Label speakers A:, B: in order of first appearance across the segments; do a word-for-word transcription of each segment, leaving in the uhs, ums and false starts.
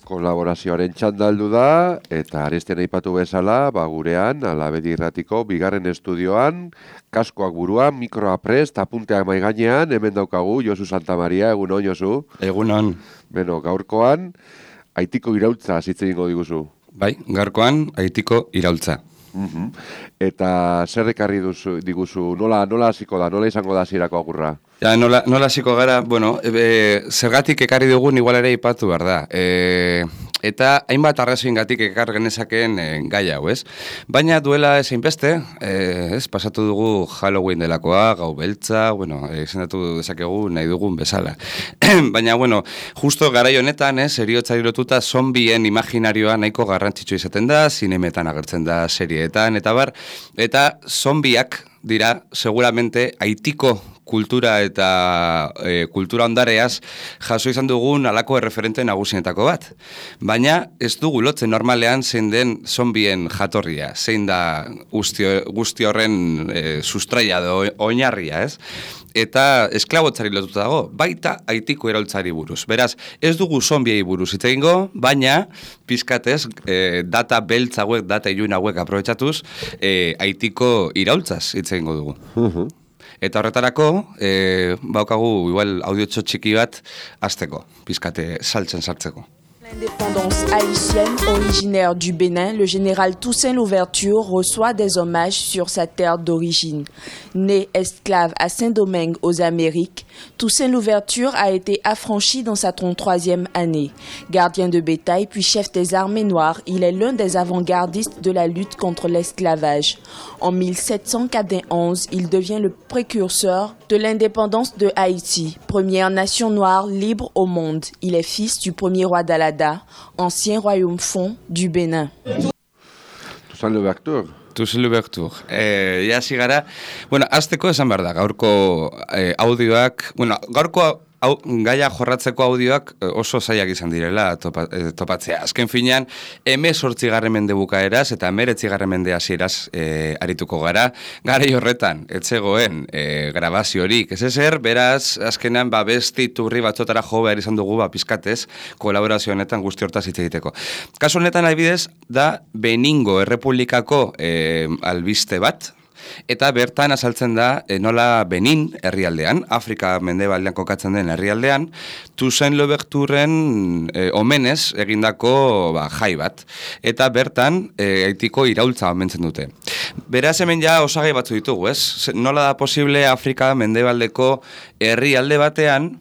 A: Kolaborazioaren txandaldu da, eta aresten aipatu bezala, ba gurean, Alabedi Irratiko, bigarren estudioan, kaskoak buruan, mikroa prest, apunteak maiganean, hemen daukagu, Josu Santamaria, egunon, Josu?
B: Egunon.
A: Beno, gaurkoan, Haitiko iraultza zitze egingo diguzu.
B: Bai, gaurkoan, Haitiko iraultza.
A: Uh-huh. Eta zer ekarri duzu, diguzu, nola, nola hasiko da, nola izango da hasierako agurra?
B: Ja, nola, nola hasiko gara, bueno, e, zergatik ekarri dugun igual ere ipatu behar da. E, eta hainbat arrazoingatik ekar genezakeen e, gai hau, ez? Baina duela ezein beste, e, ez, pasatu dugu Halloween delakoa, gau beltza, bueno, izendatu dezakegu nahi dugun bezala. Baina, bueno, justo garai honetan, ez, heriotzari lotuta zombien imaginarioa nahiko garrantzitsu izaten da, zinemetan agertzen da serieetan, eta bar, eta zombiak dira, seguramente, Haitiko kultura eta e, kultura ondareaz jaso izan dugun alako erreferente nagusienetako bat. Baina ez dugu lotzen normalean zein den zombien jatorria, zein da guzti, guzti horren e, sustraia do oinarria, ez? Eta esklabotzari lotuta dago, baita Haitiko iraultzari buruz. Beraz, ez dugu zombiei buruz hitz egingo, baina pizkatez e, data beltz hauek, data ilun hauek aprobetxatuz, e, Haitiko iraultzaz hitz egingo dugu.
A: Uh-huh.
B: Eta horretarako, e, baukagu igual audiotxo txiki bat azteko, pizkate saltzen sartzeko.
C: L'indépendance haïtienne originaire du Bénin, le général Toussaint Louverture reçoit des hommages sur sa terre d'origine. Né esclave à Saint-Domingue aux Amériques, Toussaint Louverture a été affranchi dans sa trente-troisième année. Gardien de bétail puis chef des armées noires, il est l'un des avant-gardistes de la lutte contre l'esclavage. En mille sept cent quatre-vingt-onze, il devient le précurseur de l'indépendance de Haïti, première nation noire libre au monde. Il est fils du premier roi d'Alada, ancien royaume fond du Bénin.
A: Toussaint Louverture.
B: Toussaint Louverture. Eh, ja zigara, bueno, azteko esan behar da, gaurko eh, audioak, bueno, gaurko au, gaia jorratzeko audioak oso zaiak izan direla topa, eh, topatzea. Azken finean, hemezortzigarren mende bukaeraz eta hemeretzigarren mende hasieraz eh, arituko gara. Garai horretan, etzegoen eh, grabaziorik ez ezer, beraz, azkenean, ba, besti turri batzotara jo behar izan dugu, ba, pizkatez, kolaborazio honetan guzti hortaz hitz egiteko. Kasu honetan, adibidez, da Beningo Errepublikako eh, albiste bat, eta bertan azaltzen da e, nola Benin herrialdean, Afrika mendebaldean kokatzen den herrialdean, Toussaint Louverturen e, omenez egindako ba, jai bat. Eta bertan e, Haitiko iraultza omentzen dute. Beraz hemen ja osagai batzu ditugu, ez? Nola da posible Afrika mendebaldeko herrialde batean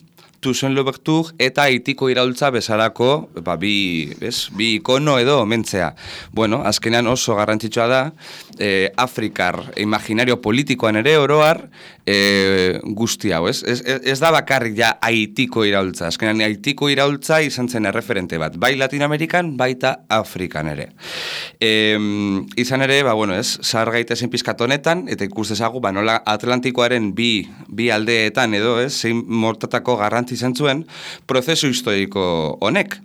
B: Toussaint Louverture eta Haitiko iraultza bezalako ba, bi, ez, bi ikono edo omentzea. Bueno, azkenean oso garrantzitsua da, eh, Afrikar imaginario politikoan ere oroar eh, guzti hau, ez? Ez, ez da bakarrik ja Haitiko iraultza. Azkenean Haitiko iraultza izan zen erreferente bat, bai Latinoamerikan, baita Afrikan ere. E, izan ere, ba, bueno, ez, zahar gaitezen pizkat honetan, eta ikus dezagu, ba, nola Atlantikoaren bi, bi aldeetan edo, ez, zein mortatako garrantzi izan zuen, prozesu historiko honek.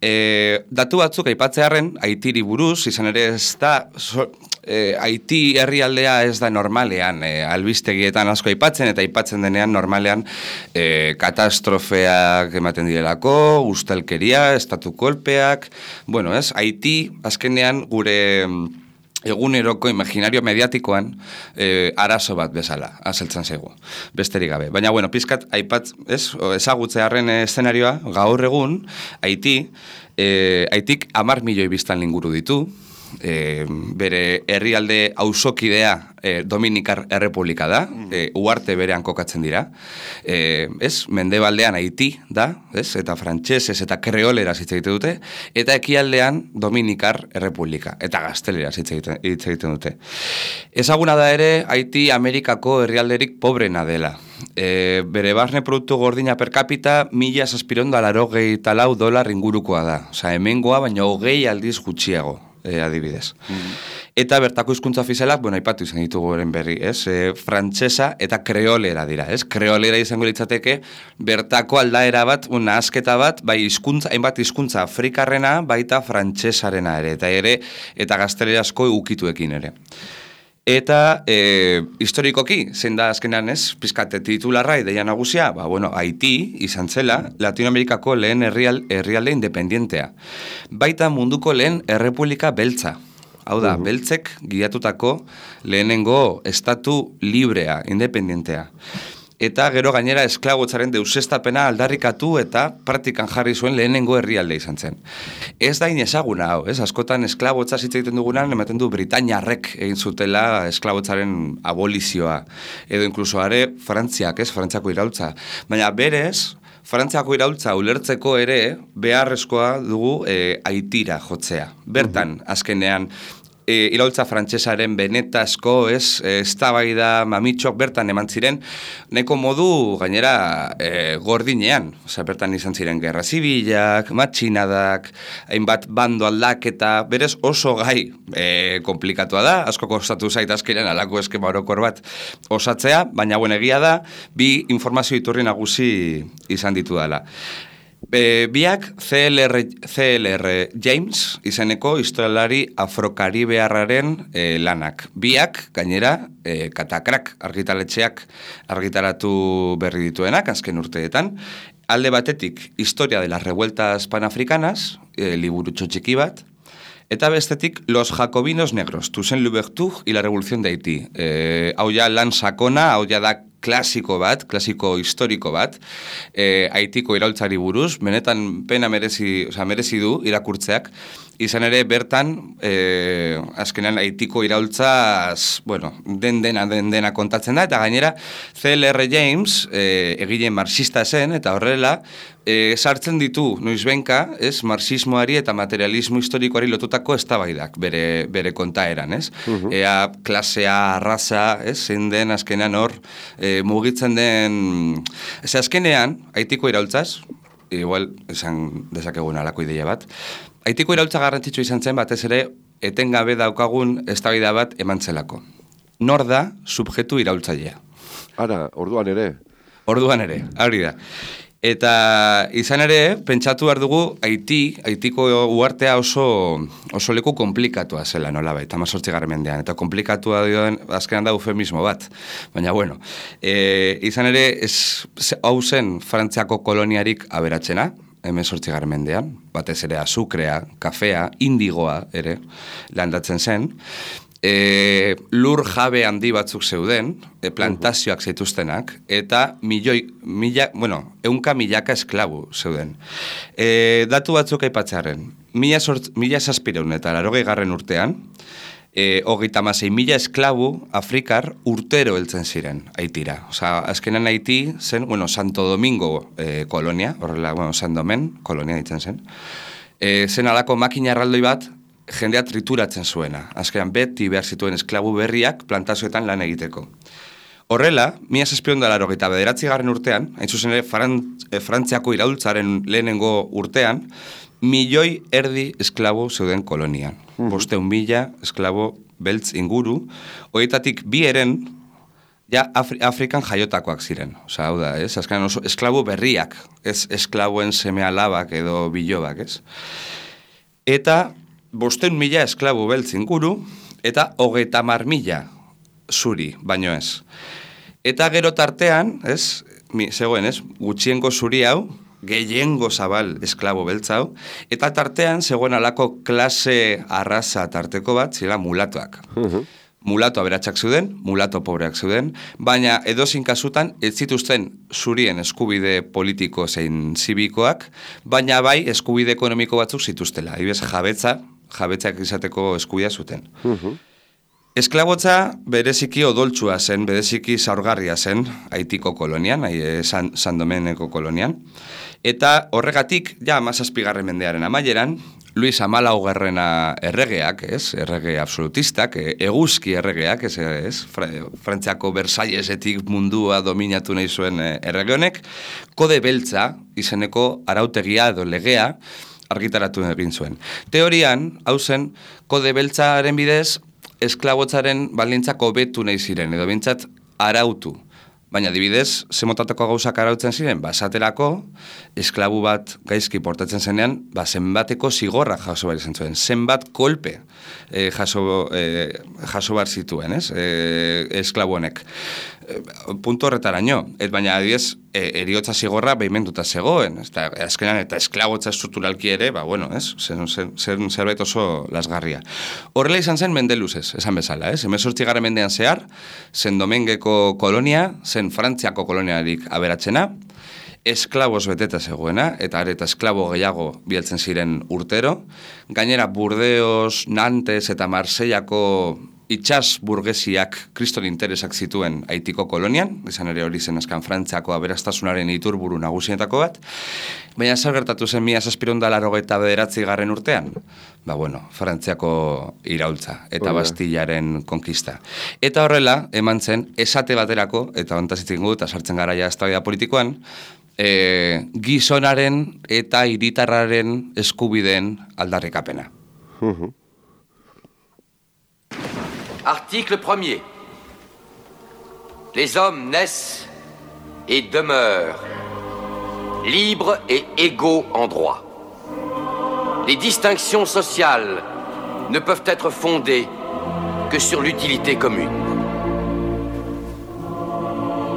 B: E, datu batzuk aipatzearren, Haitiri buruz, izan ere ez da, so, e, Haiti herrialdea ez da normalean, e, albistegietan asko aipatzen, eta aipatzen denean normalean e, katastrofeak ematen direlako, ustelkeria, estatu kolpeak, bueno, ez, Haiti, azkenean gure eguneroko imaginario mediatikoan eh, arazo bat bezala, azaltzen zaigu, besterik gabe. Baina, bueno, pizkat, aipat, ez, ezagutzearen eszenarioa, gaur egun, Haiti, eh, Haitik hamar milioi biztan inguru ditu, E, bere herrialde auzokidea e, Dominikar Errepublika da, e, uarte berean kokatzen dira, e, ez, mendebaldean Haiti da, ez, eta frantsesez eta kreoleraz hitz egiten dute, eta ekialdean Dominikar Errepublika, eta gazteleraz hitz egiten, hitz egiten dute. Ezaguna da ere, Haiti Amerikako herrialderik pobrena dela. E, bere barne produktu gordina per capita mila zazpiron da larogei talau dolar ingurukoa da. Osa, hemengoa, baina hogei aldiz gutxiago. E, adibidez. Mm-hmm. Eta bertako hizkuntza ofizialak, bueno, aipatu izan ditugu horren berri, ez? E, frantsesa eta kreolera dira, ez? Kreolera izango litzateke bertako aldaera bat, una asketa bat, bai hizkuntza, hainbat hizkuntza afrikarrena, baita frantsesarena ere, eta ere, eta gaztelerazko ukituekin ere. Eta e, historikoki, zein da azkenean ez, pizkate titularra ideia nagusia, ba, bueno, Haiti izan zela Latinoamerikako lehen herrial, herrialde independientea. Baita munduko lehen errepublika beltza. Hau da, uh-huh. beltzek giatutako lehenengo estatu librea, independientea. Eta gero gainera esklabotzaren deusestapena aldarrikatu eta praktikan jarri zuen lehenengo herrialde izan zen. Ez da inezaguna hau, ez? Askotan esklabotza hitz egiten dugunan, ematen du Britainiarrek egin zutela esklabotzaren abolizioa. Edo inkluso are Frantziak, ez? Frantziako iraultza. Baina berez, Frantziako iraultza ulertzeko ere beharrezkoa dugu e, Haitira jotzea. Bertan, uh-huh. azkenean, E, iraultza frantsesaren benetazko, ez, eztabaida mamitxok bertan eman ziren, neko modu gainera e, gordinean, osea, bertan izan ziren gerra zibilak, matxinadak, hainbat bando aldaketa, berez oso gai e, komplikatua da, asko kostatu zait azkenean alako eskema orokor bat osatzea, baina buen egia da, bi informazio iturri nagusi izan ditu dela. E, biak C L R, C L R James izeneko historialari afrokaribearraren e, lanak. Biak, gainera, e, katakrak argitaletxeak argitaratu berri dituenak, azken urteetan. Alde batetik, historia de las revueltas panafricanas, e, liburutxo txiki bat, eta bestetik, Los Jacobinos Negros, Toussaint Louverture y la Revolución de Haití. E, hau ja lan sakona, hau ja da klasiko bat, klasiko historiko bat, e, Haitiko iraultzari buruz, benetan pena merezi, oza, merezi du irakurtzeak, izan ere bertan, e, azkenean Haitiko iraultzaz, bueno, den dena, den dena kontatzen da, eta gainera C L R James, e, egile marxista zen, eta horrela, e, sartzen ditu, noizbenka, ez, marxismoari eta materialismo historikoari lotutako eztabaidak bere, bere kontaeran, ez? Uh-huh. Ea klasea, arraza, ez, zein den azkenean hor, e, mugitzen den, ez azkenean, Haitiko iraultzaz, igual, esan dezakegun alako ideia bat, Haitiko iraultza garrantzitsu izan zen batez ere, etengabe daukagun eztabaida bat emantzelako. Nor da subjektu iraultzailea?
A: Ara, orduan ere.
B: Orduan ere, hori da. Eta izan ere, pentsatu behar dugu, Haiti, Haitiko uartea oso, oso leku komplikatua zela, nola baita, hamazortzigarren mendean, eta komplikatua dioen, azkenan da eufemismo bat. Baina, bueno, e, izan ere, ez, hau zen Frantziako koloniarik aberatzena, hemezortzigarren mendean, batez ere azukrea, kafea, indigoa ere, landatzen zen, E, lur jabe handi batzuk zeuden, e, plantazioak zituztenak, eta milioi, mila, bueno, eunka milaka esklabu zeuden. E, datu batzuk aipatzearen, mila, mila zazpireun eta larogei garren urtean, e, hogeita hamasei mila esklabu Afrikar urtero heltzen ziren Haitira. Osa, azkenan Haiti zen, bueno, Santo Domingo e, kolonia, horrela, bueno, San Domen kolonia ditzen zen, e, zen alako makina erraldoi bat, jendea trituratzen zuena. Azkenean beti behar zituen esklabu berriak plantazioetan lan egiteko. Horrela, mila zazpiehun eta laurogeita bederatzigarren urtean, hain zuzen ere Frant, e, Frantziako iraultzaren lehenengo urtean, milioi erdi esklabu zeuden kolonian. Mm. Bosteun mila esklabu beltz inguru, horietatik bi eren ja Afri, Afrikan jaiotakoak ziren. Osa, hau da, ez? Azkenean oso esklabu berriak, ez esklabuen seme alabak edo bilobak, ez? Eta bosteun mila esklabu beltz inguru, eta hogeita hamar mila zuri, baino ez. Eta gero tartean, ez, mi, zegoen, ez, gutxiengo zuri hau, gehiengo zabal esklabo beltz hau, eta tartean zegoen alako klase arraza tarteko bat, zira mulatoak. Uh-huh. Mulato aberatsak zeuden, mulato pobreak zeuden, baina edozin kasutan ez zituzten zurien eskubide politiko zein zibikoak, baina bai eskubide ekonomiko batzuk zituztela. Ibez jabetza, jabetzak izateko eskubidea zuten. Uh-huh. Esklabotza bereziki odoltsua zen, bereziki zaurgarria zen Haitiko kolonian, San, San Domeneko kolonian, eta horregatik, ja, hamazazpigarren mendearen amaieran, Luis Hamalaugarrena erregeak, ez, errege absolutistak, eguzki erregeak, ez, ez, Frantziako Versailesetik mundua dominatu nahi zuen errege honek, kode beltza izeneko arautegia edo legea argitaratu egin zuen. Teorian, hau zen, kode beltzaren bidez, esklabotzaren baldintzak hobetu nahi ziren, edo bintzat arautu Baina, adibidez, ze motatako gauzak arautzen ziren, ba, esaterako, esklabu bat gaizki portatzen zenean, ba, zenbateko zigorra jaso behar izan zuen, zenbat kolpe eh, jaso, eh, jaso behar zituen, ez, eh, esklabu honek. Eh, puntu horretaraino, ez baina, adibidez, eh, eriotza zigorra behimenduta zegoen, ez da, azkenan, eta esklabotza estrukturalki ere, ba, bueno, ez, zen, zen, zen zerbait oso lasgarria. Horrela izan zen Mendeluzez, esan bezala, ez, hemezortzigarren mendean zehar, zen Domengeko kolonia, zen Frantziako koloniarik aberatzena, esklaboz beteta zegoena, eta areta esklabo gehiago bieltzen ziren urtero. Gainera, Burdeos, Nantes eta Marseillako itxas burgesiak kriston interesak zituen Haitiko kolonian, izan ere hori zen askan Frantziako aberastasunaren iturburu nagusietako bat, baina zer gertatu zen mila zazpiehun eta laurogeita bederatzi garren urtean? Ba bueno, Frantziako iraultza eta Bastillaren konkista. Eta horrela, eman zen, esate baterako, eta hontaz itzen gut, eta sartzen gara ja eztabaida politikoan, e, gizonaren eta hiritarraren eskubideen aldarrikapena.
A: Uh-huh.
D: Article premier. Les hommes naissent et demeurent libres et égaux en droit. Les distinctions sociales ne peuvent être fondées que sur l'utilité commune.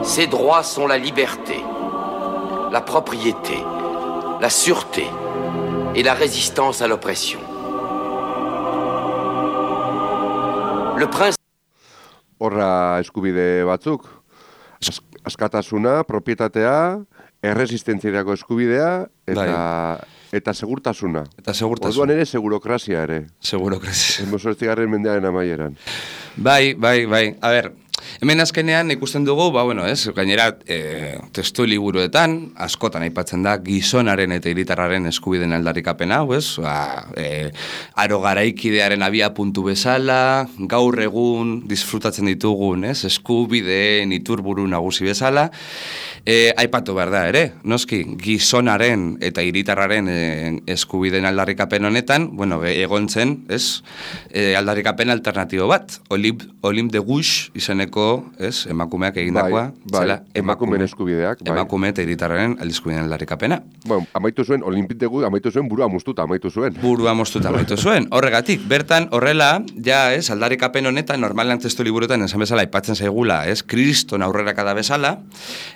D: Ces droits sont la liberté, la propriété, la sûreté et la résistance à l'oppression. Le principe...
A: Horra eskubide batzuk, As, askatasuna, propietatea, erresistentziarako eskubidea, eta, eta segurtasuna.
B: Eta segurtasuna.
A: Orduan ere, segurokrazia ere.
B: Segurokrazia.
A: Hemezortzigarren mendearen amaieran.
B: Bai, bai, bai. A ber, hemen azkenean ikusten dugu, ba, bueno, ez, gainera, e, testu liburuetan, askotan aipatzen da, gizonaren eta hiritarraren eskubideen aldarrikapena, hau, ez, ba, e, aro garaikidearen abia puntu bezala, gaur egun disfrutatzen ditugun, ez, eskubideen iturburu nagusi bezala, e, aipatu behar da, ere, noski, gizonaren eta hiritarraren e, eskubideen aldarrikapen honetan, bueno, egon zen, ez, e, aldarrikapen alternatibo bat, Olim, Olim de Gouche izeneko, ez, emakumeak egindakoa,
A: bai, bai,
B: zela,
A: emakumeen eskubideak, bai.
B: Emakume eta hiritarraren aldizkubideen aldarrikapena.
A: Bueno, amaitu zuen, Olimpik de Gouche, amaitu zuen, burua moztuta, amaitu zuen.
B: Burua moztuta, amaitu zuen. Horregatik, bertan, horrela, ja, ez, aldarrikapen honetan, normalan testu liburuetan, esan bezala, aipatzen zaigula, ez, kriston aurrera kada bezala,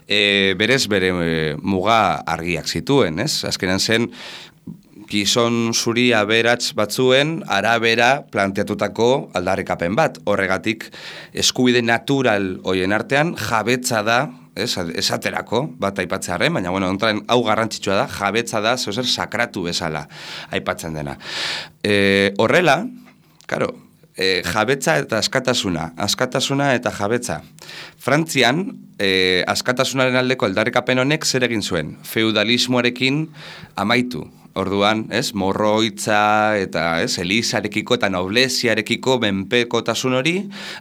B: e, berez bere e, muga argiak zituen, ez, azkenan zen, gizon zuri aberats batzuen arabera planteatutako aldarrikapen bat. Horregatik, eskubide natural hoien artean jabetza da, ez, esaterako, bat aipatzearen, baina, bueno, ontaren hau garrantzitsua da, jabetza da, zeuser sakratu bezala aipatzen dena. E, horrela, karo, e, jabetza eta askatasuna, askatasuna eta jabetza. Frantzian, e, askatasunaren aldeko aldarrikapen honek zer egin zuen? Feudalismoarekin amaitu. Orduan, ez, morroitza eta, ez, elizarekiko eta nobleziarekiko menpekotasun hori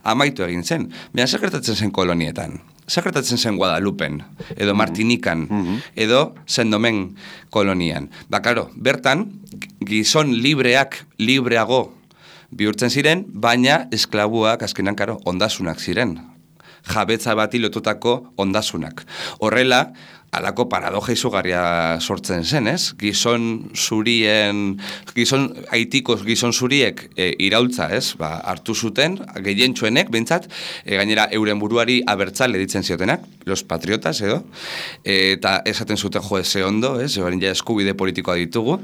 B: amaitu egin zen. Baina zer gertatzen zen kolonietan? Zer gertatzen zen Guadalupen, edo Martinikan, mm-hmm. edo Saint-Domingue kolonian. Ba, karo, bertan, gizon libreak libreago bihurtzen ziren, baina esklabuak azkenan, karo, ondasunak ziren. Jabetza bati lotutako ondasunak. Horrela, alako paradoja izugarria sortzen zen, ez? Gizon zurien, gizon, Haitiko gizon zuriek e, iraultza, ez? Ba, hartu zuten, gehientsuenek, behintzat, e, gainera euren buruari abertzale ditzen ziotenak, los patriotas, edo, e, eta esaten zuten jo eze ondo, ez? Ebarin ja eskubide politikoa ditugu,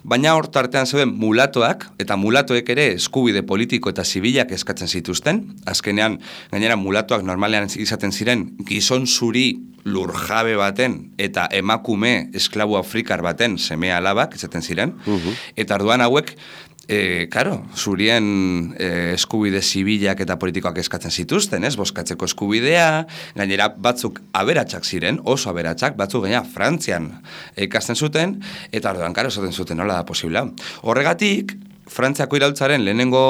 B: baina hor tartean zeuden mulatoak, eta mulatoek ere eskubide politiko eta zibilak eskatzen zituzten, azkenean, gainera mulatoak normalean izaten ziren, gizon zuri lurjabe baten eta emakume esklabu afrikar baten seme alabak izaten ziren, uh-huh. eta orduan hauek, e, karo, zurien e, eskubide zibilak eta politikoak eskatzen zituzten, ez, bozkatzeko eskubidea, gainera batzuk aberatsak ziren, oso aberatsak, batzuk gaina Frantzian ikasten zuten, eta orduan, karo, esaten zuten, nola da posibla. Horregatik, Frantziako iraultzaren lehenengo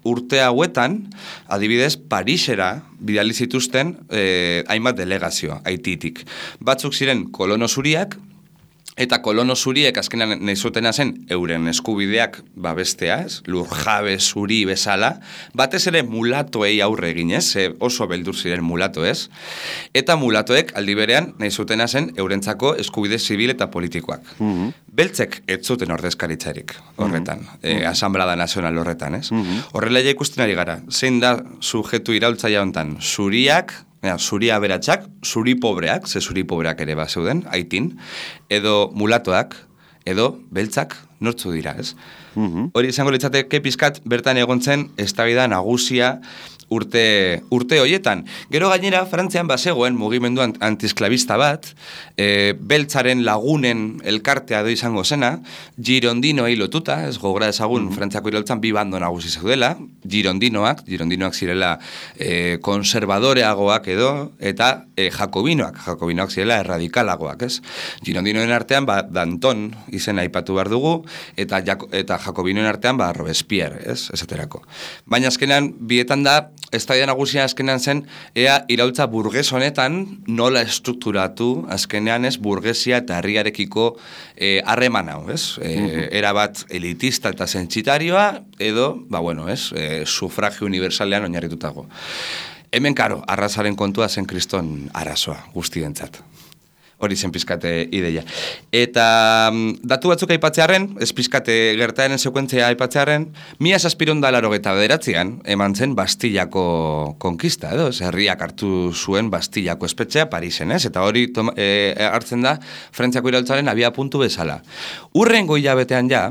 B: urte hauetan, adibidez, Parisera bidali zituzten eh, hainbat delegazio, Haititik. Batzuk ziren kolono zuriak, Eta kolono zuriek azkenan nahi zutena zen euren eskubideak babestea, ez? Lurjabe zuri bezala, batez ere mulatoei aurre eginez, oso beldur ziren mulato, ez? Eta mulatoek aldi berean nahi zutena zen eurentzako eskubide zibil eta politikoak. Mm-hmm. Beltzek ez zuten ordezkaritzarik horretan, mm-hmm. e, Asamblada Nazional horretan, ez? Mm-hmm. Horrela ja ikusten ari gara, zein da subjektu iraultzaile honetan, zuriak, Ja, zuri aberatsak, zuri pobreak, ze zuri pobreak ere bat zeuden, haitin, edo mulatoak, edo beltzak, nortzu dira, ez? Mm-hmm. Hori izango litzateke pizkat bertan egon zen eztabaida nagusia urte, urte hoietan. Gero gainera, Frantzian bazegoen mugimendu antisklabista bat, e, beltzaren lagunen elkartea do izango zena, girondinoei lotuta, ez gogora ezagun mm-hmm. Frantziako iraultzan bi bando nagusi zeudela, girondinoak, girondinoak zirela e, konservadoreagoak edo, eta e, jakobinoak, jakobinoak zirela erradikalagoak, ez? Girondinoen artean, ba, Danton izena aipatu behar dugu, eta, eta jakobinoen artean, ba, Robespierre, ez? Esaterako. Baina azkenean, bietan da, eztabaida nagusia azkenean zen, ea iraultza burges honetan nola estrukturatu azkenean ez burgesia eta herriarekiko harreman hau, ez? E, era bat elitista eta sentsitarioa, edo, ba bueno, ez? E, sufragio universalean oinarritutago. Hemen, karo, arrazaren kontua zen kriston arazoa guztientzat. Hori zen pizkate ideia. Eta datu batzuk aipatzearen, ez pizkate gertaeren sekuentzia aipatzearen, mila zazpiron da larogeta bederatzean, eman zen Bastillako konkista, edo, ez, herriak hartu zuen Bastillako espetxea Parisen, ez? Eta hori toma, e, hartzen da Frantziako iraultzaren abia puntu bezala. Urrengo hilabetean ja,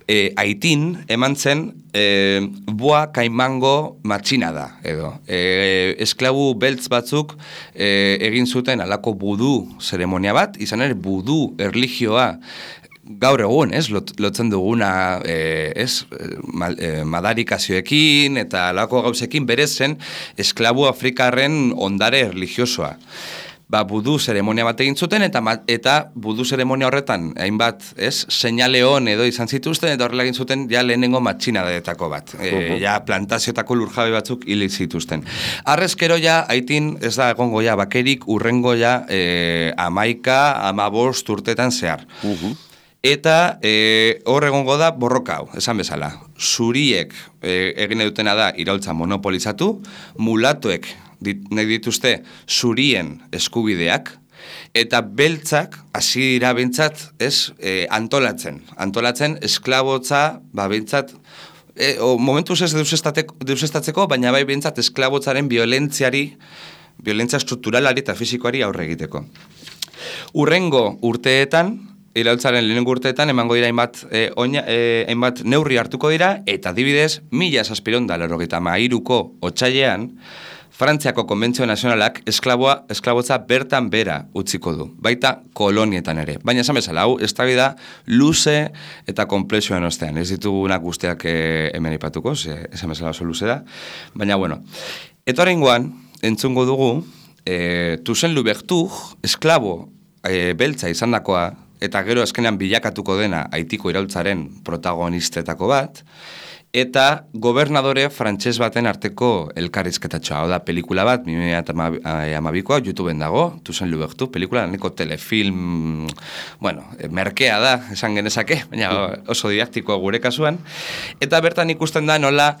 B: E, Haitin eman zen e, boa kaimango matxina da, edo. E, esklabu beltz batzuk e, egin zuten alako budu zeremonia bat, izan ere budu erlijioa gaur egun, ez, lot, lotzen duguna, e, ez, mal, e, madarikazioekin eta alako gauzekin berez zen esklabu afrikarren ondare erlijiosoa. Ba, budu zeremonia bat egin zuten, eta, eta budu zeremonia horretan, hainbat, ez, seinale hon edo izan zituzten, eta horrela egin zuten, ja lehenengo matxinadetako bat. E, uh-huh. Ja plantazioetako lurjabe batzuk hil zituzten. Arrezkero ja, haitin, ez da egongo ja, bakerik, urrengo ja, e, amaika, amabost urtetan zehar. Uh-huh. Eta e, hor egongo da borroka hau, esan bezala. Zuriek e, egin dutena da iraultza monopolizatu, mulatoek dit, nahi dituzte zurien eskubideak, eta beltzak, hasi dira bentsat, ez, e, antolatzen. Antolatzen esklabotza, ba, bentsat, e, o, momentuz ez deusestatzeko, baina bai bentsat esklabotzaren violentziari, violentzia strukturalari eta fizikoari aurre egiteko. Urrengo urteetan, iraultzaren lehenengo urteetan emango dira hainbat, e, oina, e, hainbat neurri hartuko dira, eta adibidez, mila zazpiron da laurogeita hamairuko otsailean, Frantziako Konbentzio Nazionalak esklaboa, esklabotza bertan bera utziko du, baita kolonietan ere. Baina esan bezala, hau, eztabaida luze eta konplexuan ostean. Ez ditugunak guztiak e, hemen ipatuko, esan bezala oso luze da. Baina, bueno, eta horrengoan, entzungo dugu, e, Toussaint Louverture, esklabo e, beltza izandakoa, eta gero azkenean bilakatuko dena Haitiko iraultzaren protagonistetako bat, eta gobernadore frantses baten arteko elkarrizketatxoa. Hau da, pelikula bat, bi mila hamabikoa, YouTubeen dago, Toussaint Louverture, pelikula, neko telefilm, bueno, merkea da, esan genezake, baina oso didaktikoa gure kasuan, eta bertan ikusten da nola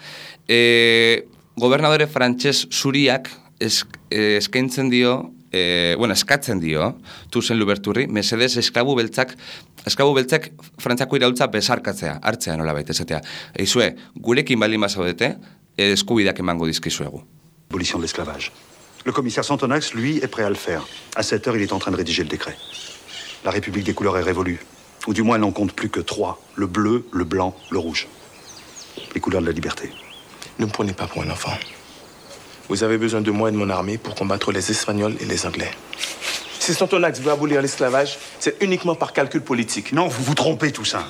B: e, gobernadore frantses zuriak esk, eskaintzen dio, E, bueno, eskatzen dio, Toussaint Louverturri, mesedez esklabu beltzak, esklabu beltzak Frantziako iraultza besarkatzea, hartzea nola baita, esatea. Eizue, gurekin baldin bazaudete, eskubideak emango dizkizuegu.
E: Abolition de l'esclavage. Le commissaire Santonax, lui, est prêt à le faire. À cette heure, il est en train de rédiger le décret. La République des couleurs est révolue. Ou du moins, elle n'en compte plus que trois. Le bleu, le blanc, le rouge. Les couleurs de la liberté.
F: Ne me prenez pas pour un enfant. Vous avez besoin de moi et de mon armée pour combattre les Espagnols et les Anglais. Si Santonax veut abolir l'esclavage, c'est uniquement par calcul politique.
E: Non, vous vous trompez, Toussaint.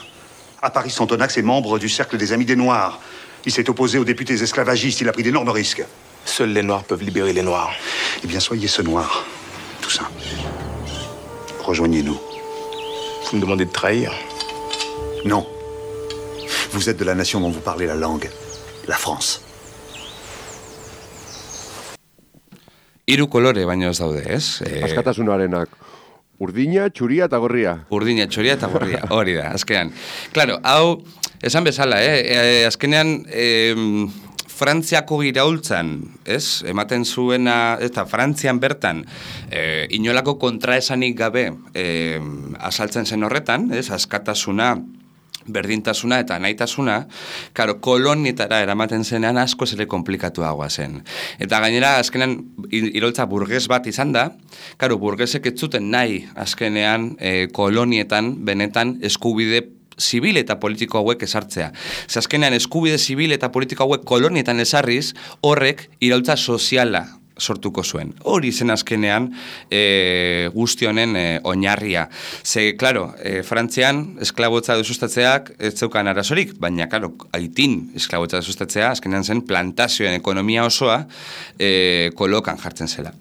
E: À Paris, Santonax est membre du Cercle des Amis des Noirs. Il s'est opposé aux députés esclavagistes, il a pris d'énormes risques.
F: Seuls les Noirs peuvent libérer les Noirs.
E: Eh bien, soyez ce Noir, Toussaint. Rejoignez-nous.
F: Vous me demandez de trahir?
E: Non. Vous êtes de la nation dont vous parlez la langue, la France.
B: Hiru kolore baino ez daude, ez?
A: E... Askatasunarenak Urdina, txuria eta gorria.
B: Urdina, txuria eta gorria, hori da, azkenean. Claro, hau, esan bezala, eh? E, azkenean, eh, Frantziako iraultzan, ez? Ematen zuena, eta Frantzian bertan, eh, inolako kontraesanik gabe eh, asaltzen zen horretan, ez? Askatasuna, berdintasuna eta nahitasuna, karo, kolonietara eramaten zenean asko zere komplikatuagoa zen. Eta gainera, azkenean, iraultza burges bat izan da, karo, burgesek ez zuten nahi, azkenean, eh, kolonietan, benetan, eskubide zibil eta politiko hauek esartzea. Ze azkenean, eskubide zibil eta politiko hauek kolonietan esarriz, horrek iraultza soziala sortuko zuen. Hori zen azkenean e, guzti honen e, oinarria. Ze, klaro, e, Frantzian esklabotza desustatzeak ez zeukan arazorik, baina, klaro, Haitin esklabotza desustatzea azkenean zen plantazioen ekonomia osoa e, kolokan jartzen zela.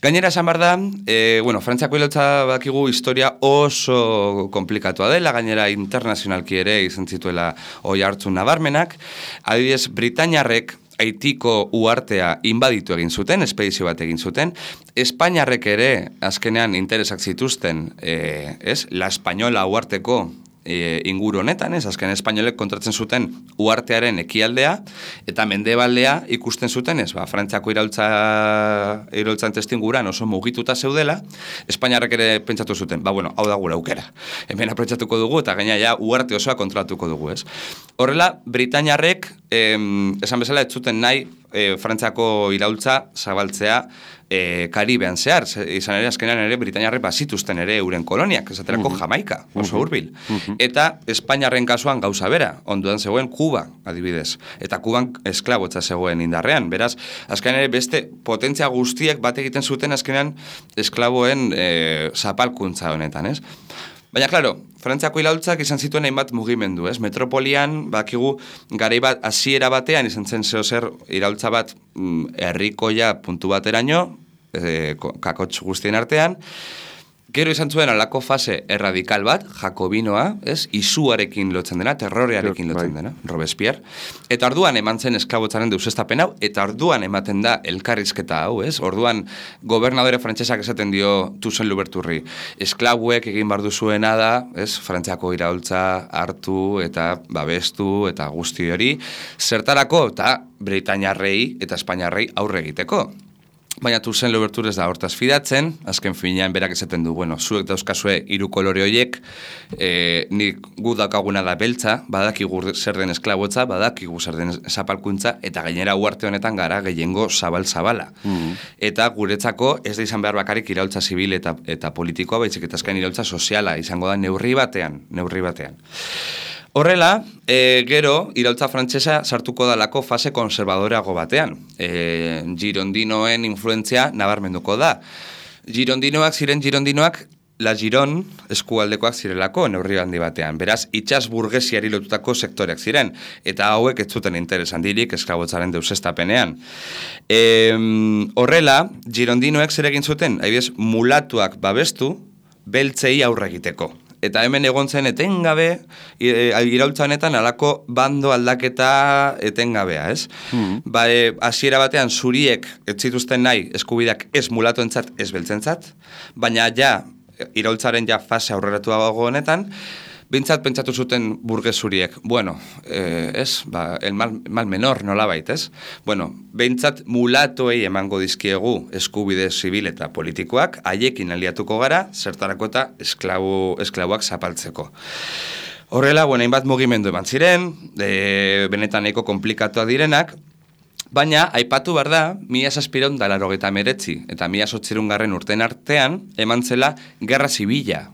B: Gainera esan behar da, e, bueno, Frantziako iraultza bakigu historia oso komplikatua dela, gainera internazionalki ere izan zituela oi hartzun nabarmenak, adibidez, Britainiarrek Haitiko uhartea inbaditu egin zuten, espedizio bat egin zuten, Espainiarrek ere azkenean interesak zituzten, e, ez, La Española uharteko e, inguru honetan, ez, azken espainolek kontratzen zuten uhartearen ekialdea, eta mendebaldea ikusten zuten, ez, ba, Frantziako iraultza, iraultzan testinguran oso mugituta zeudela, Espainiarrek ere pentsatu zuten, ba, bueno, hau da gure aukera, hemen aprobetxatuko dugu, eta gaina ja uarte osoa kontrolatuko dugu, ez. Horrela, Britainiarrek, eh, esan bezala, ez zuten nahi, eh, Frantziako iraultza zabaltzea e, Karibean zehar, izan ere azkenean ere Britainiarrek bazituzten ere euren koloniak, esaterako uh-huh. Jamaika, oso hurbil. Uh-huh. Eta Espainiarren kasuan gauza bera, onduan zegoen Kuba, adibidez. Eta Kuban esklabotza zegoen indarrean. Beraz, azkenean ere beste potentzia guztiek bat egiten zuten azkenean esklaboen e, zapalkuntza honetan, ez? Baina, klaro, Frantziako iraultzak izan zituen hainbat mugimendu, ez? Metropolian, bakigu, garai bat, hasiera batean izan zen zehozer iraultza bat mm, herrikoia puntu bateraino, e, kakotx guztien artean. Gero izan zuen alako fase erradikal bat, jakobinoa, ez? Izuarekin lotzen dena, terrorearekin lotzen dena, Robespierre. Eta orduan eman zen esklabotzaren deusestapen hau, eta orduan ematen da elkarrizketa hau, ez? Orduan gobernadore frantsesak esaten dio Toussaint Louverturri. Esklabuek egin bardu zuena da, ez? Frantziako iraultza hartu eta babestu eta guzti hori, zertarako eta Britainiarrei eta Espainiarrei aurre egiteko. Baina Toussaint Louverture ez da hortaz fidatzen, azken finean berak esaten du, bueno, zuek dauzkazue hiru kolore horiek, e, nik gu daukaguna da beltza, badakigu zer den esklabotza, badakigu zer den zapalkuntza, eta gainera uarte honetan gara gehiengo zabal-zabala. Mm-hmm. Eta guretzako ez da izan behar bakarrik iraultza zibil eta, eta politikoa, baitzik eta azken iraultza soziala, izango da neurri batean, neurri batean. Horrela, e, gero, iraultza frantsesa sartuko dalako fase konservadoreago batean. E, girondinoen influentzia nabarmenduko da. Girondinoak ziren girondinoak, la Giron eskualdekoak zirelako neurri handi batean. Beraz, itsas burgesiari lotutako sektoreak ziren. Eta hauek ez zuten interes handirik esklabotzaren deusestapenean. E, horrela, girondinoek zer egin zuten, adibidez, mulatuak babestu, beltzei aurre egiteko. Eta hemen egon zen etengabe, iraultza honetan alako bando aldaketa etengabea, ez? Mm. Ba, e, hasiera batean zuriek ez zituzten nahi eskubideak ez mulatoentzat, ez beltzentzat, baina ja, iraultzaren ja fase aurreratuago honetan, bintzat pentsatu zuten burges zuriek. Bueno, eh, ez, ba, el mal, mal menor nolabait, ez? Bueno, bintzat mulatoei emango dizkiegu eskubide zibil eta politikoak, haiekin aliatuko gara, zertarako eta esklabu, esklabuak zapaltzeko. Horrela, bueno, hainbat mugimendu eman ziren, e, benetan nahiko komplikatuak direnak, baina, aipatu behar da, mila zazpireun da laurogeita hemeretzi eta mila zortziehun garren urten artean, eman zela gerra zibila.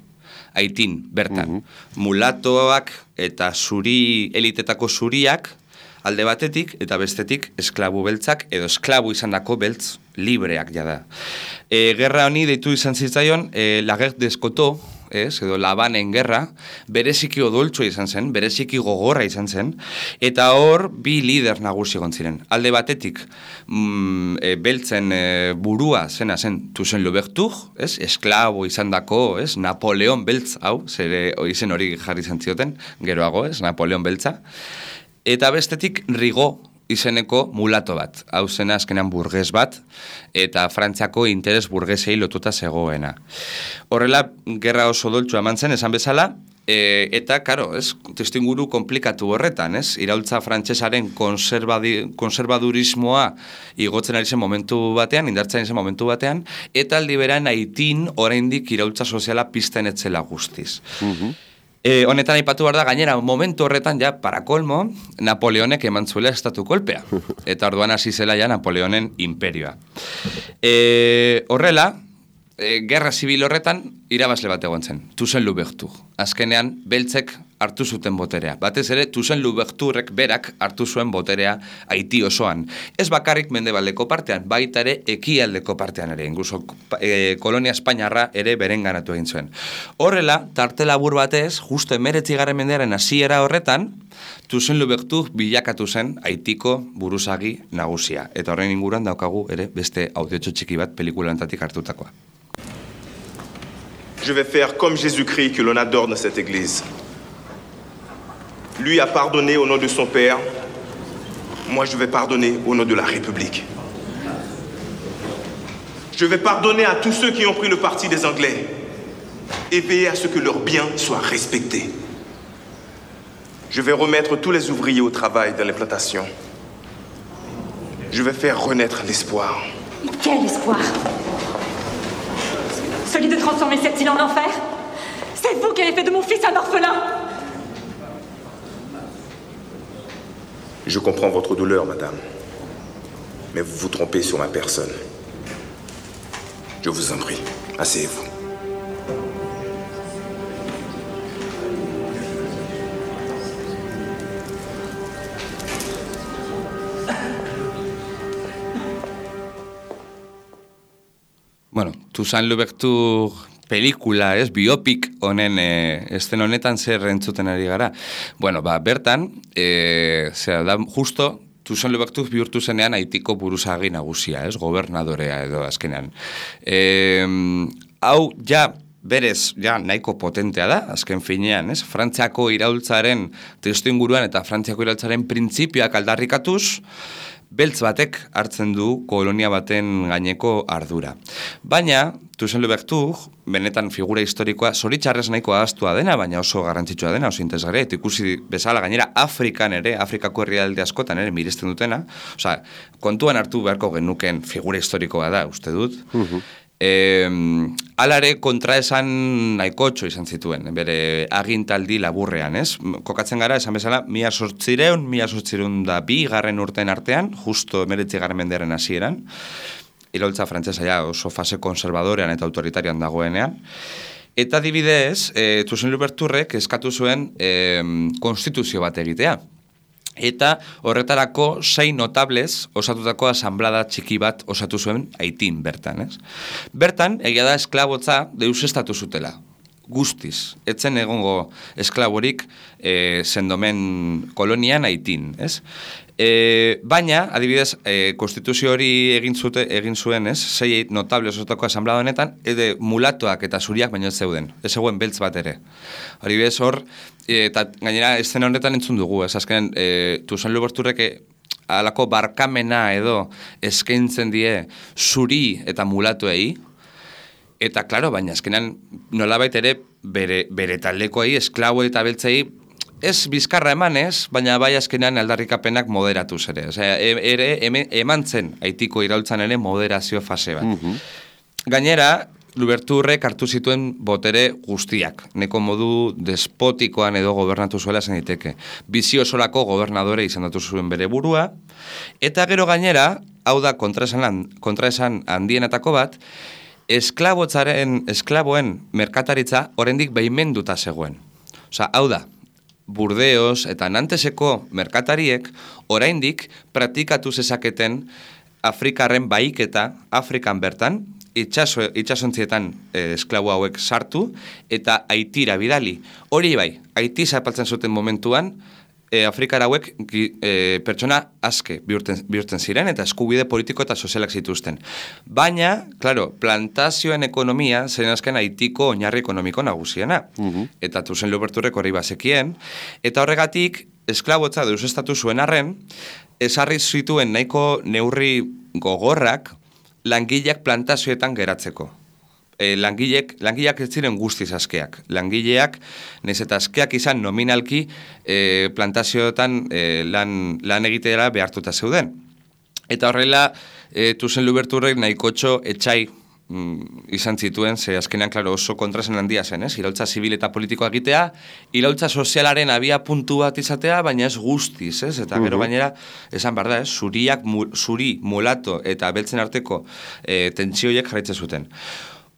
B: Haitin, bertan. Uh-huh. Mulatoak eta zuri, elitetako zuriak alde batetik eta bestetik esklabu beltzak edo esklabu izandako beltz libreak jada. E, gerra honi deitu izan zitzaion e, la guerre d'Escoto, ez, edo Labanen gerra, bereziki odoltsua izan zen, bereziki gogorra izan zen, eta hor bi lider nagusi egon ziren. Alde batetik, mm, e, beltzen e, burua zena zen Toussaint Louverture, ez, esklabo izandako, ez, Napoleon beltz, hau, zere izen hori jarri izan zioten, geroago, ez, Napoleon beltza, eta bestetik Rigaud izeneko mulato bat. Hau zena azkenean burges bat, eta Frantziako interes burgesei lotuta zegoena. Horrela, gerra oso doltsu eman zen, esan bezala, e, eta, karo, ez, testuinguru komplikatu horretan, ez? Iraultza frantsesaren konservadurismoa igotzen ari zen momentu batean, indartzen zen momentu batean, eta aldi beran Haitin oraindik iraultza soziala pizten etzela guztiz. Uh-huh. E, honetan aipatu behar da, gainera, momentu horretan, ja, para kolmo, Napoleonek eman zuela estatu kolpea. Eta orduan hasi zela ja Napoleonen imperioa. E, horrela, e, gerra zibil horretan, irabazle bat egon zen, Toussaint-Louverture. Azkenean, beltzek hartu zuten boterea. Batez ere, Toussaint-Louverturek berak hartu zuen boterea Haiti osoan. Ez bakarrik mendebaldeko partean, baita ere ekialdeko partean ere, incluso e, kolonia Espainiarra ere berenganatu egin zuen. Horrela, tarte labur batez, justo emeretzigarren mendearen hasiera horretan, Toussaint-Louverture bilakatu zen Haitiko buruzagi nagusia. Eta horren inguruan daukagu ere beste audiotxo txiki bat pelikulantatik hartutakoa.
F: Je vais faire comme Jésus-Christ que l'on adore dans cette église. Lui a pardonné au nom de son Père. Moi, je vais pardonner au nom de la République. Je vais pardonner à tous ceux qui ont pris le parti des Anglais et veiller à ce que leurs biens soient respectés. Je vais remettre tous les ouvriers au travail dans les plantations. Je vais faire renaître l'espoir.
G: Quel espoir? Celui de transformer cette île en enfer? C'est vous qui avez fait de mon fils un orphelin!
F: Je comprends votre douleur, madame. Mais vous vous trompez sur ma personne. Je vous en prie, asseyez-vous.
B: Bueno, Toussaint-Louverture pelikula, ez, biopik honen, e, esten honetan zer entzuten ari gara. Bueno, ba, bertan, e, zer da, justo, Toussaint-Louverture bihurtu zenean Haitiko buruzagi nagusia, ez, gobernadorea edo azkenean. E, hau, ja, berez, ja, nahiko potentea da, azken finean, ez, Frantziako iraultzaren testuinguruan eta Frantziako iraultzaren printzipioak aldarrikatuz, beltz batek hartzen du kolonia baten gaineko ardura. Baina, Toussaint-Louverture, benetan figura historikoa, zoritxarrez nahiko ahaztua dena, baina oso garrantzitsua dena, oso interesgarria, eta ikusi bezala gainera Afrikan ere, Afrikako herrialde askotan ere miresten dutena, osea, kontuan hartu beharko genuken figura historikoa da, uste dut. Uh-huh. E, alare kontraesan nahikotxo izan zituen, bere agintaldi laburrean, ez? Kokatzen gara, esan bezala, mila sortzireun, mila sortzireun da bi garren urten artean, justo emeretzi garren mendearen hasieran, iraultza frantsesa ja oso fase konservadorean eta autoritarian dagoenean, eta adibidez, e, Toussaint-Louverturek eskatu zuen e, konstituzio bat egitea. Eta horretarako sei notables osatutako asanblada txiki bat osatu zuen Haitin bertan, ez? Bertan, egia da esklabotza deusestatu zutela, guztiz. Etzen egongo esklaborik e, sendomen kolonian Haitin, ez? E, baina, adibidez, e, konstituzio hori egin, zute, egin zuen, ez? Sei notable osatutako asanblada honetan, ede mulatoak eta zuriak baino ez zeuden, ez zegoen beltz bat ere. Adibidez hor, eta gainera eszena honetan entzun dugu, ez azkenean e, Toussaint-Louverturek alako barkamena edo eskaintzen die zuri eta mulatuei, eta klaro, baina azkenean nolabait ere bere, bere taldekoei, esklabo eta beltzei, ez bizkarra emanez, baina bai azkenean aldarrikapenak moderatuz ere. Osea, ere eman zen Haitiko iraultzan ere moderazio fase bat. Uh-huh. Gainera, Louverturek hartu zituen botere guztiak, neko modu despotikoan edo gobernatu zuela zen daiteke. Bizi osorako gobernadore izendatu zuen bere burua, eta gero gainera, hau da kontraesan, kontraesan handienetako bat, esklabotzaren, esklaboen merkataritza oraindik baimenduta zegoen. Osea, hau da, Burdeos eta Nanteseko merkatariek oraindik praktikatu zezaketen Afrikarren baiketa Afrikan bertan, itxaso, itxasontzietan eh, esklabo hauek sartu eta Haitira bidali. Hori bai, Haiti zapaltzen zuten momentuan, e, Afrikar hauek e, pertsona aske bihurten, bihurten ziren eta eskubide politiko eta sozialak zituzten. Baina, claro, plantazioen ekonomia zen azken Haitiko oinarri ekonomiko nagusiena. Uh-huh. Eta Toussaint-Louverturek hori bazekien, eta horregatik esklabotza deusestatu zuen arren, esarri zituen nahiko neurri gogorrak langileak plantazioetan geratzeko. E, langilek, langileak ez ziren guztiz askeak. Langileak, nez eta askeak izan nominalki e, plantazioetan e, lan, lan egitera behartuta zeuden. Eta horrela, e, Toussaint Louverturek nahikotxo etxai mm, izan zituen, ze azkenean, klaro, oso kontrasen handia zen, ez? Iraultza zibil eta politikoa egitea, iraultza sozialaren abia puntu bat izatea, baina ez guztiz, ez? Eta gero gainera, esan behar da, ez? Zuriak, mu, zuri, mulato eta beltzen arteko e, tentsioiek jarraitzen zuten.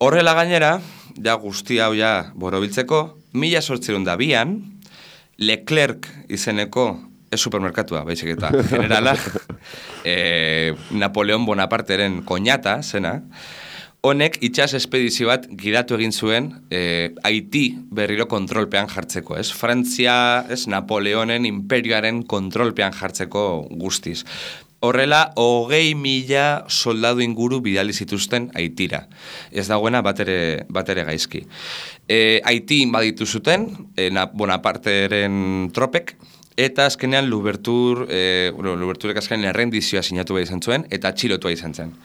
B: Horrela gainera, ja guzti hau ja borobiltzeko, mila sortzerun da bian, Leclerc izeneko, ez supermerkatua, baizik eta generala, e, Napoleon Bonaparteren koñata, zena, honek itxas espedizio bat gidatu egin zuen e, Haiti berriro kontrolpean jartzeko, ez? Frantzia, ez, Napoleonen imperioaren kontrolpean jartzeko guztiz. Horrela, hogei mila soldadu inguru bidali zituzten Haitira. Ez dagoena batere, batere gaizki. E, Haiti inbaditu zuten, e, Bonaparteren tropek, eta azkenean Louverture, e, bueno, Louverturek azkenean errendizioa sinatu behar izan zuen, eta atxilotua izan zen.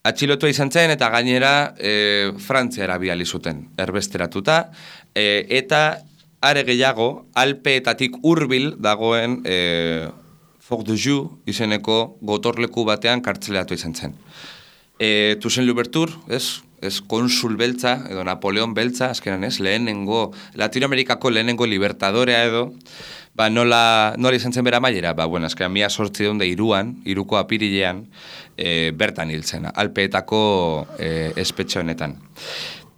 B: Atxilotua izan zen, eta gainera e, Frantziara bidali zuten, erbesteratuta, e, eta are gehiago, Alpeetatik hurbil dagoen e, Fort de Joux izeneko gotorleku batean kartzeleratu izan zen. E, Toussaint Louverture, ez, ez konsul beltza, edo Napoleon beltza, azkenan ez, lehenengo, Latinoamerikako lehenengo libertadorea edo, ba, nola, nola izan zen bera maiera, ba, bueno, azkenan mila sortzi daunde iruan, iruko apirilean, e, bertan hil zen, Alpeetako e, espetxe honetan.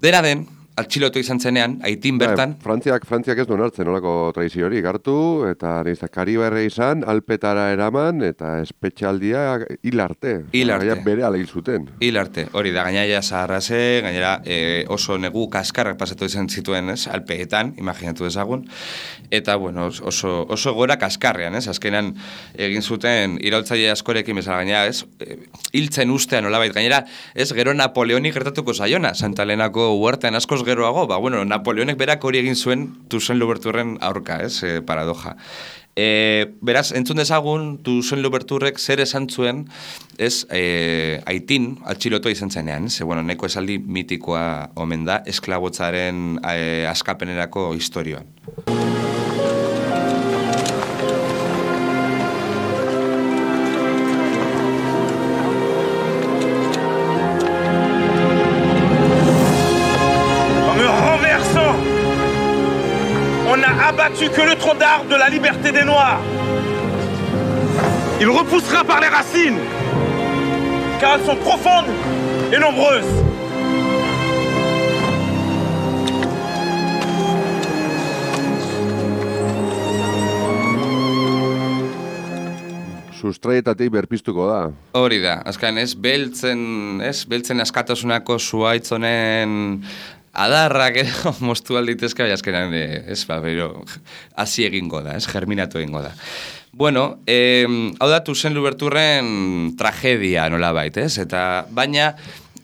B: Dena den, atxilotu izan zenean, Haitin bertan...
A: Ba, Frantziak, Frantziak ez duen hartzen olako tradiziorik hartu, eta nizta Kariberre izan, Alpetara eraman, eta espetxaldia hil arte.
B: Hil arte.
A: Bere ala hil zuten.
B: Hil arte, hori da, gainaia zaharraze, gainera e, oso negu kaskarrak pasatu izan zituen, ez, Alpeetan, imaginatu ezagun, eta, bueno, oso, oso gora kaskarrean, ez, azkenan egin zuten iraultzaile askorekin bezala, gainera, ez, hiltzen ustean olabait, gainera, ez, gero Napoleonik gertatuko zaiona, Santa Helenako huertean askoz geroago, ba, bueno, Napoleonek berak hori egin zuen Toussaint Louverturren aurka, ez, e, paradoja. E, beraz, entzun dezagun, Toussaint Louverturrek zer esan zuen, ez, e, Haitin atxilotua izan zenean, ze, bueno, neko esaldi mitikoa omen da, esklabotzaren e, askapenerako historioan.
F: Abattu que le tronc d'arbre de la liberté des Noirs. Il repoussera par les racines, car elles sont profondes et nombreuses.
A: Sustraietatik berpiztuko da.
B: Hori da, azkan ez, beltzen, ez, beltzen askatasunako zuaitzonen adarrak edo moztu alditezka, bai azkenan, ez, ba, bero, hasi egingo da, ez, germinatu egingo da. Bueno, eh, hau da Toussaint Louverturren tragedia nola bait, ez, eta baina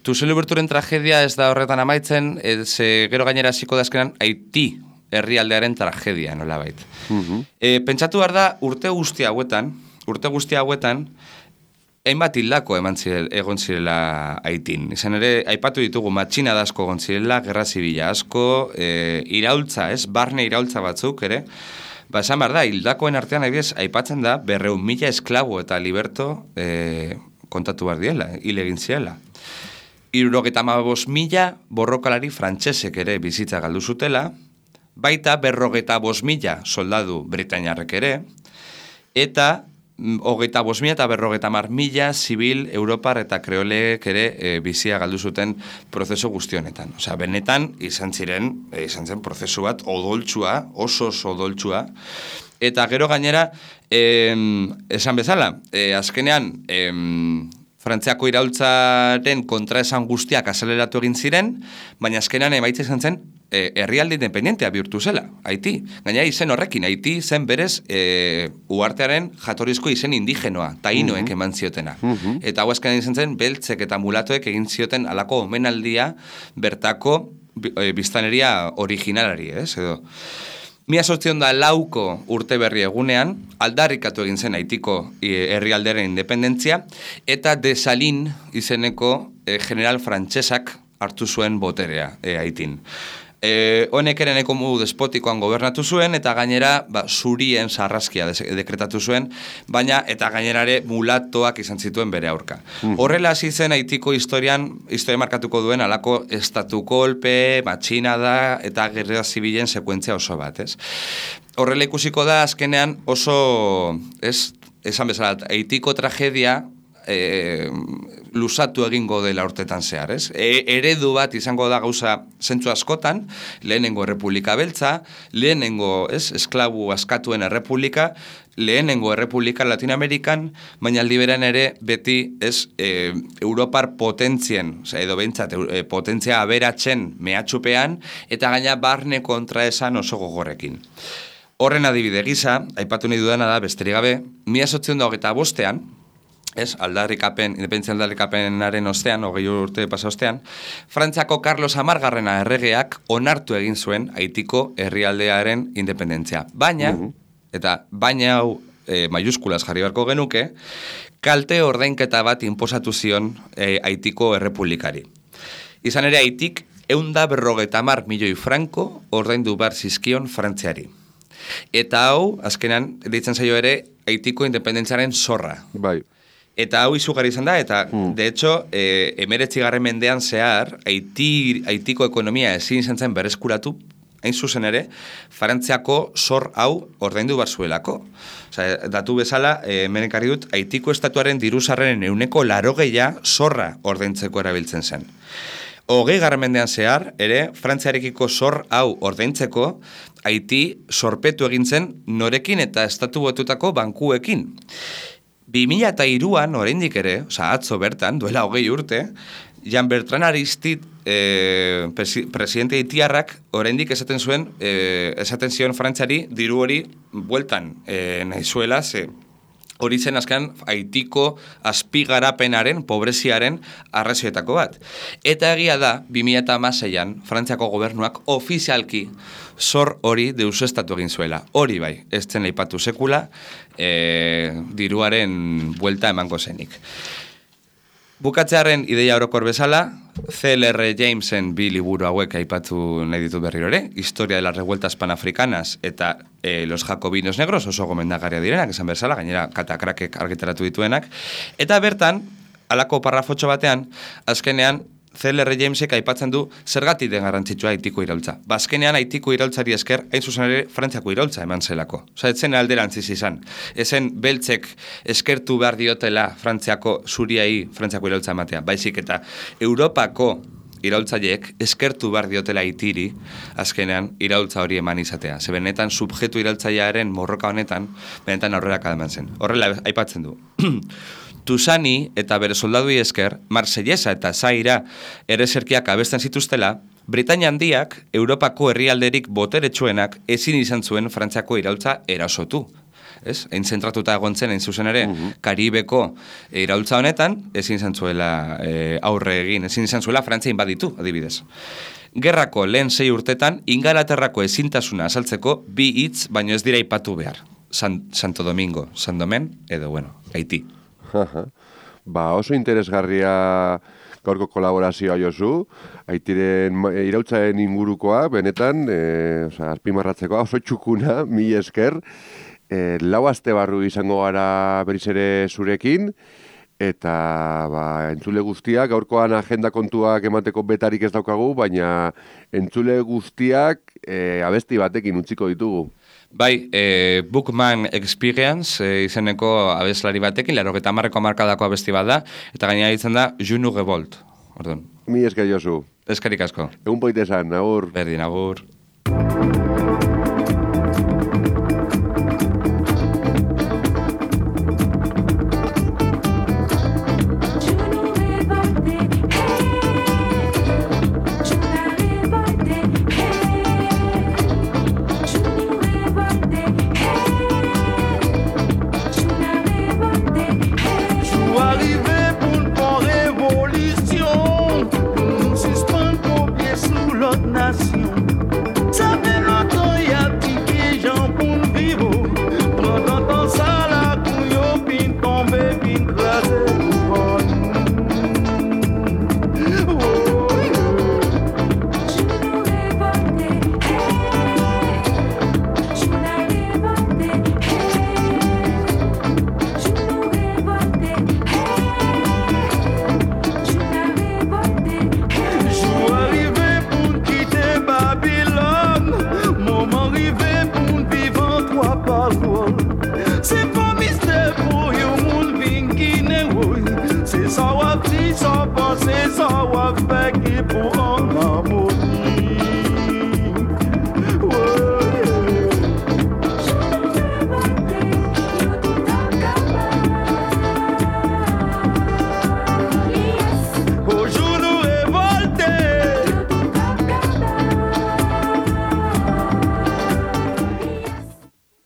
B: Toussaint Louverturren tragedia ez da horretan amaitzen, ez, e, gero gainera hasiko da azkenan Haiti herrialdearen tragedia nola bait. Uh-huh. E, pentsatu behar da, urte guzti hauetan, urte guzti hauetan, hainbat hildako eman zirel, egon zirela Haitin. Izan ere, aipatu ditugu matxina da asko egon zirela, gerra zibila asko, e, iraultza, ez, barne iraultza batzuk, ere. Ba, esan behar da, hildakoen artean adibidez, aipatzen da, berreun mila esklabo eta liberto e, kontatu behar diela, hil egin zirela. Hirurogeta hamabost mila borrokalari frantsesek ere bizitza galdu zutela, baita berrogeta bost mila soldadu britainiarrek ere, eta hogeita bost mila eta berrogeta hamar mila zibil, europar eta kreoleek ere e, bizia galdu zuten prozesu guztionetan. Osea, benetan izan ziren, e, izan zen prozesu bat odoltsua, oso oso odoltsua, eta gero gainera, e, esan bezala, e, azkenean, e, Frantziako iraultzaren kontraesan guztiak azeleratu egin ziren, baina azkenean emaitza izan zen e, herrialde independentea bihurtu zela, Haiti. Gainera izen horrekin, Haiti zen berez e, uhartearen jatorrizko izen indigenoa, tainoek eman ziotena. Uh-huh. Eta hau azkenean izan zen, beltzek eta mulatoek egin zioten alako omenaldia bertako e, biztaneria originalari, ez, edo. Mila sortziehun eta lauko urte berri egunean, aldarrikatu egin zen Haitiko herrialderen independentzia, eta Desalin izeneko e, general frantsesak hartu zuen boterea e, Haitin. E, honek ere neko modu despotikoan gobernatu zuen, eta gainera ba, zurien sarraskia dekretatu zuen, baina eta gainerare mulatoak izan zituen bere aurka. Mm. Horrela hasi zen Haitiko historian, historia markatuko duen alako estatu kolpe, matxinada eta gerra zibilen sekuentzia oso bat, ez? Horrela ikusiko da azkenean oso, ez, esan bezala, Haitiko tragedia E, lusatu egingo dela urtetan zehar, ez? E, eredu bat izango da gauza zentzu askotan, lehenengo errepublika beltza, lehenengo, ez, esklabu askatuen errepublika, lehenengo errepublika Latinoamerikan, baina aldi beran ere beti, ez, e, Europar potentzien, oza, edo behintzat, e, potentzia aberatzen mehatxupean, eta gaina barne kontra esan oso gogorrekin. Horren adibide gisa, aipatu nahi dudana da, besterik gabe, mila zortziehun eta hogeita bostean, ez, aldarrikapen, independentzia aldarrikapenaren ostean, hogei urte pasa ostean, Frantziako Carlos Hamargarrena erregeak onartu egin zuen Haitiko herrialdearen independentzia. Baina, uh-huh. eta baina hau e, maiuskulaz jarri beharko genuke, kalte ordainketa bat inposatu zion e, Haitiko errepublikari. Izan ere Haitik eunda berrogeita hamar milioi franko ordaindu behar zizkion Frantziari. Eta hau, azkenan, deitzen zaio ere, Haitiko independentziaren zorra.
A: Bai.
B: Eta hau izugarri izan da, eta mm. de hecho, e, emeretzigarren mendean zehar, Haiti, Haitiko ekonomia ezin izan zen berreskuratu, hain zuzen ere, Frantziako zor hau ordaindu behar zuelako. Osea, datu bezala, e, menekarri dut, Haitiko estatuaren diruzarren euneko larogeia zorra ordaintzeko erabiltzen zen. Hogei garren mendean zehar, ere, Frantziarekiko zor hau ordaintzeko, Haiti zorpetu egin zen norekin eta estatu botutako bankuekin. bi mila hiruan, oraindik ere, oza, atzo bertan, duela hogei urte, Jean Bertrand Aristide, eh, presi, presidente haitiarrak, oraindik esaten zuen, eh, esaten zion Frantziari, diru hori bueltan eh, nahi zuela, ze hori zen azkenan Haitiko azpigarapenaren, pobreziaren arrazioetako bat. Eta egia da, bi mila hamaseian, Frantziako gobernuak ofizialki zor hori deusestatu egin zuela. Hori bai, ez zen leipatu sekula, e, diruaren buelta emango zenik. Bukatzearen ideia orokor bezala, C L R Jamesen bi liburu hauek aipatu nahi ditut berriro ere, Historia de las revueltas panafricanas eta e, Los Jacobinos Negros, oso gomendagarria direnak, esan bezala, gainera katakrakek argitaratu dituenak, eta bertan, halako parrafotxo batean, azkenean, C L R Jamesek aipatzen du zergatik den garrantzitsua Haitiko iraultza. Bazkenean Haitiko iraultzari esker, hain zuzen ere, Frantziako iraultza eman zelako. Osa, etzen alderantziz izan. Ezen beltzek eskertu behar diotela Frantziako zuriai Frantziako iraultza ematea. Baizik eta Europako iraultzaileek eskertu behar diotela Haitiri, azkenean iraultza hori eman izatea. Ze benetan subjektu iraultzailearen morroka honetan, benetan aurrera kadaman zen. Horrela aipatzen du. Tusani eta bere soldadui esker, Marsellesa eta Zaira ereserkiak abesten zituztela, Britainia handiak, Europako herrialderik boteretsuenak ezin izan zuen Frantziako iraultza erasotu. Ez? Hain zentratuta egontzen, hain zuzen ere, uh-huh. Karibeko iraultza honetan, ezin izan zuela e, aurre egin, ezin izan zuela Frantzia inbaditu, adibidez. Gerrako lehen sei urtetan, Ingalaterrako ezintasuna azaltzeko bi hitz baino ez dira aipatu behar. San, Santo Domingo, San Domen, edo, bueno, Haiti.
A: Ba, oso interesgarria gaurko kolaborazioa Josu, Haitiren iraultzaren ingurukoa, benetan, e, oza, azpimarratzekoa, oso txukuna, mi esker, e, lau aste barru izango gara berriz ere zurekin, eta ba, entzule guztiak, gaurkoan agenda kontuak emateko betarik ez daukagu, baina entzule guztiak e, abesti batekin utziko ditugu.
B: Bai, e, Bookman Experience e, izeneko abeslari batekin, laurogeita hamarreko hamarkadako abesti bat da, eta gainera ditzen da Junu Revolt. Orduan.
A: Mi esker Josu.
B: Eskarik asko.
A: Egun poitesan, agur.
B: Berdin, agur.
H: Nation. c'est ça ou fait qui pour